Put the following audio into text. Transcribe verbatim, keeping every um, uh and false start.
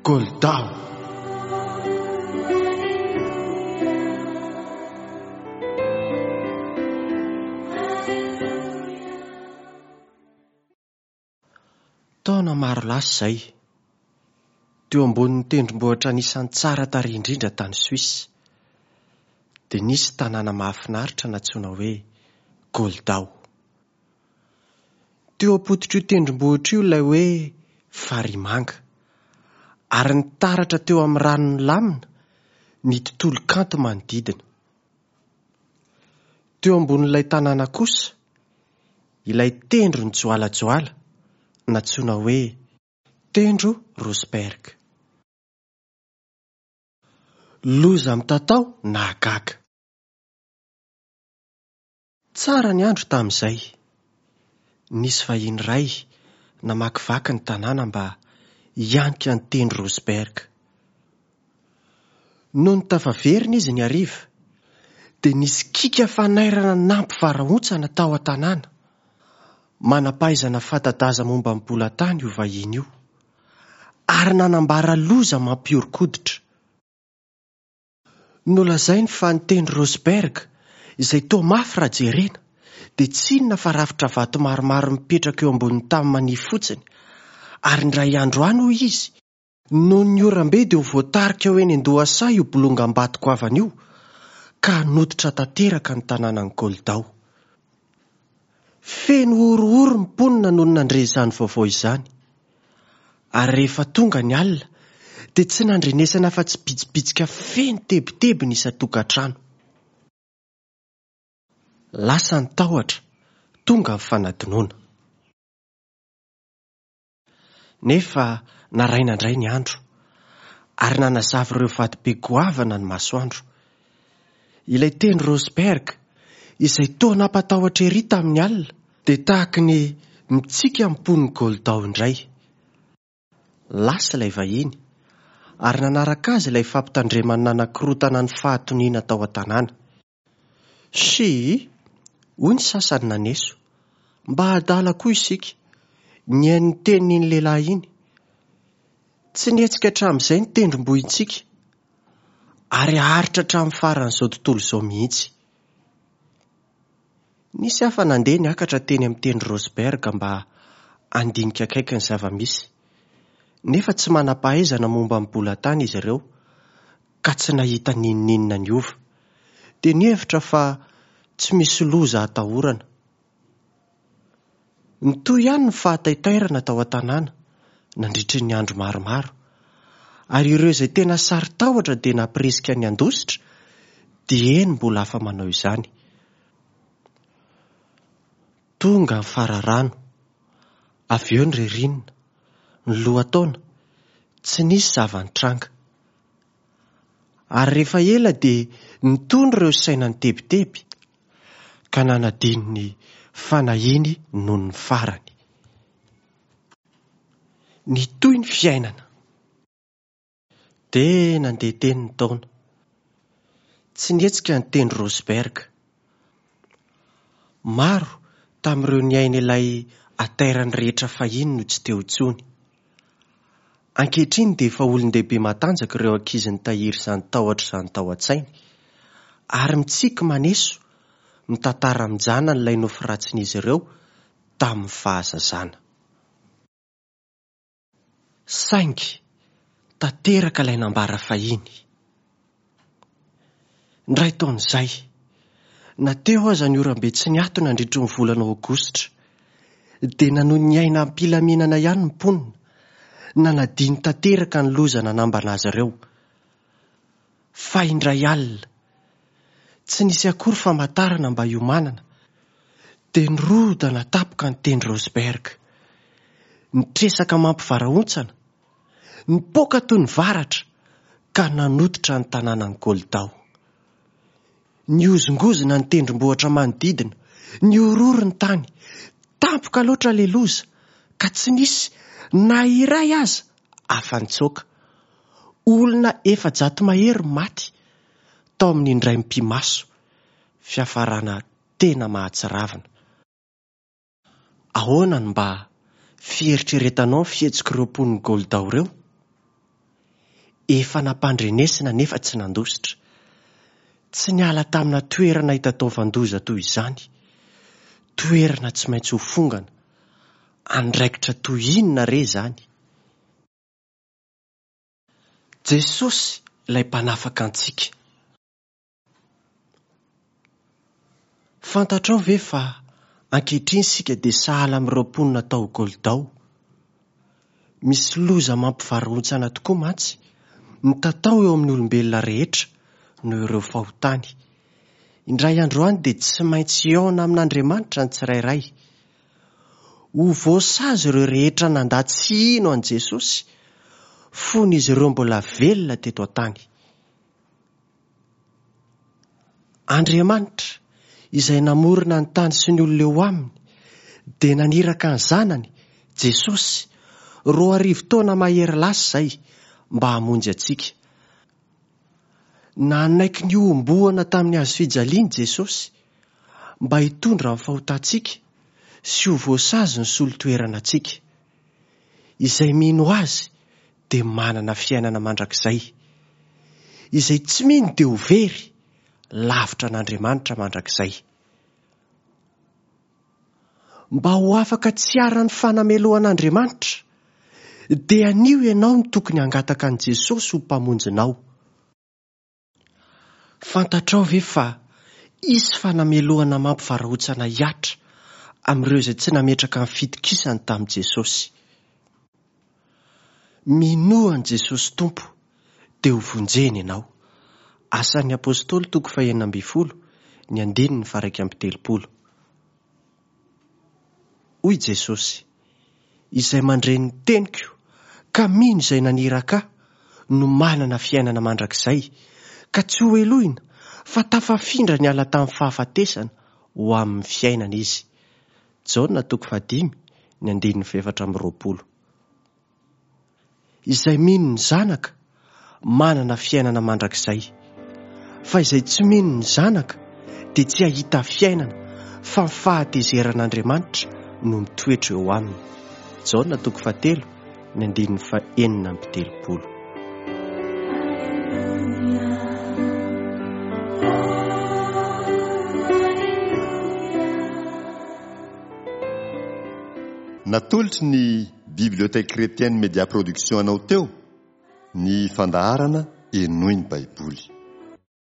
Goldao. Taona maro lasa izay, teo ambonin'ny tendrombohitra anisan'ny tsara tarehy indrindra tany Suisse, dia nisy tanàna mahafinaritra nantsoina hoe Goldao. Teo am-pototr'io tendrombohitra io ilay hoe Farimanga, ary nitaratra teo amin'ny rano nilamina ny tontolo kanto manodidina. Teo ambonin'ilay tanàna kosa, ilay tendro nijoalajoala nantsoina hoe tendro Rosberg. Loza mitatao nahagaga. Tsara ny andro tamin'izay. Nisy vahiny iray namakivaky ny tanàna mba hianika ny tendro Rosberg. Nony tafaverina izy ny hariva, dia nisy kiaka fanairana nampivarahontsana tao an-tanàna. Manam-pahaizana fanta-daza momba ny bolan-tany io vahiny io, ary nanambara loza mampihoron-koditra. Nolazainy fa ny tendro Rosberg, izay toa mafy raha jerena, dia tsy inona fa rafitra vato maromaro mipetraka eo ambonin'ny tany manify fotsiny, ary indray andro any hoy izy, noho ny oram-be dia ho voatarika ho eny an-dohasaha io bolongam-bato goavana io, ka hanototra tanteraka ny tanànan'i Goldao. Feno horohoro ny mponina nony nandre izany vaovao izany. Ary rehefa tonga ny alina, dia tsy nandrenesana afa-tsy bitsibitsika feno tebiteby ny isan-tokantrano. Lasa ny tahotra, tonga ny fanadinoana. Nefa naraina indray ny andro, ary nanazava ireo vatobe goavana ny masoandro. Ilay tendro Rosberg, izay toa nampatahotra ery tamin'ny alina, dia tahaky ny mitsiky amin'ny mponin'i Goldao indray. Lasa ilay vahiny, ary nanaraka azy ilay fampitandremana nanakorontana ny fahatoniana tao an-tanàna. Sy, hoy ny sasany naneso, mba adala koa isika, nihaino ny tenin'iny lehilahy iny. Tsy nihetsika hatramin'izay ny tendrombohitsika, ary haharitra hatramin'ny faran'izao tontolo izao mihitsy. Nisy hafa nandeha niakatra teny amin'ny tendro Rosberg mba handinika akaiky ny zava-misy. Nefa tsy manam-pahaizana momba ny bolan-tany izy ireo, ka tsy nahita n'inon'inona niova. Dia nihevitra fa tsy misy loza atahorana. Nitohy ihany ny fahataitairana tao an-tanàna nandritry ny andro maromaro, ary ireo izay tena saro-tahotra dia nampirisika ny handositra, dieny mbola afa-manao izany. Tonga ny fararano, avy eo ny ririnina, ny lohataona, tsy nisy zava-nitranga. Ary rehefa ela dia nitony ireo saina nitebiteby, ka nanadino ny fanahiany noho ny farany. Nitohy ny fiainana. Dia nandeha teny ny taona. Tsy nihetsika ny tendro Rosberg. Maro tamin'ireo niaina ilay hatairany rehetra fahiny no tsy teo intsony. Ankehitriny dia efa olon-dehibe matanjaka ireo ankizy nitahiry izany tahotra izany tao an-tsainy, ary mitsiky maneso mitantara amin-janany ilay nofy ratsin'izy ireo tamin'ny fahazazana. Saingy tanteraka ilay nambara fahiny. Indray taona izay, na teo aza ny oram-be tsy niato nandritry ny volana aogositra, dia nanohy niaina am-pilaminana ihany ny mponina, nanadino tanteraka ny loza nanambana azy ireo. Fa indray alina, tsy nisy akory famantarana mba hiomanana, dia nirodana tampoka ny tendro Rosberg. Nitresaka mampivarahontsana, nipoaka toy ny varatra, ka nanototra ny tanànan'i Goldao. Nihozongozona ny tendrombohitra manodidina, nihorohoro ny tany, tampoka loatra ilay loza, ka tsy nisy na iray aza afa-nitsoaka. Olona efajato mahery maty tao amin'ny indray mipi-maso, fiafarana tena mahatsiravina. Ahoana no mba fieritreretanao ny fihetsik'ireo mponin'i Goldao ireo? Efa nampandrenesina nefa tsy nandositra. Tsy niala tamina toerana hitataovan-doza toy izany. Toerana tsy maintsy ho fongana. Andraikitra toy inona re izany? Jesosy ilay mpanafaka antsika. Fantatrao ve fa ankehitriny isika dia sahala amin'ireo mponina tao Goldao? Misy loza mampivarahontsana tokoa mantsy mitatao eo amin'ny olombelona rehetra noho ireo fahotany. Indray andro any dia tsy maintsy hihaona amin'Andriamanitra ny tsirairay. Ho voasazy ireo rehetra nandà tsy hino an'i Jesosy fony izy ireo mbola velona teto an-tany. Andriamanitra, izay namorona ny tany sy ny olona eo aminy, dia naniraka ny zanany, Jesosy, roa arivo taona mahery lasa izay mba hamonjy antsika. Nanaiky ny hohomboana tamin'ny hazo fijaliana Jesosy mba hitondra ny fahotantsika sy ho voasazy ny solo-toerana antsika. Izay mino azy dia manana fiainana mandrakizay. Izay tsy mino dia ho very, lavitra an'Andriamanitra mandrakizay. Mba ho afaka tsy haran'ny fanamelohan'Andriamanitra, dia anio ianao no tokony hangataka an'i Jesosy ho mpamonjinao. Fantatrao ve fa hisy fanamelohana mampivarahontsana hihatra amin'ireo izay tsy nametraka ny fitokisany tamin'i Jesosy? Minoa an'i Jesosy Tompo dia ho vonjena ianao. Asan'ny Apôstôly toko fahenina ambin'ny folo, ny andininy faha-iraika amby telopolo. Hoy Jesosy, izay mandre ny teniko ka mino izay naniraka ahy no manana fiainana mandrakizay, ka tsy ho helohina fa tafafindra niala tamin'ny fahafatesana ho amin'ny fiainana izy. Jaona toko fahadimy, ny andininy fahefatra amby roapolo. Izay mino ny zanaka manana fiainana mandrakizay, fa izay tsy mino ny zanaka dia tsy hahita fiainana fa ny fahatezeran'Andriamanitra no mitoetra eo aminy. Jaona toko fahatelo, ny andininy fahenina amby telopolo. Natolotry ny Bibliothèque Chrétienne Média Production anao teo ny fandaharana Henoy ny Baiboly.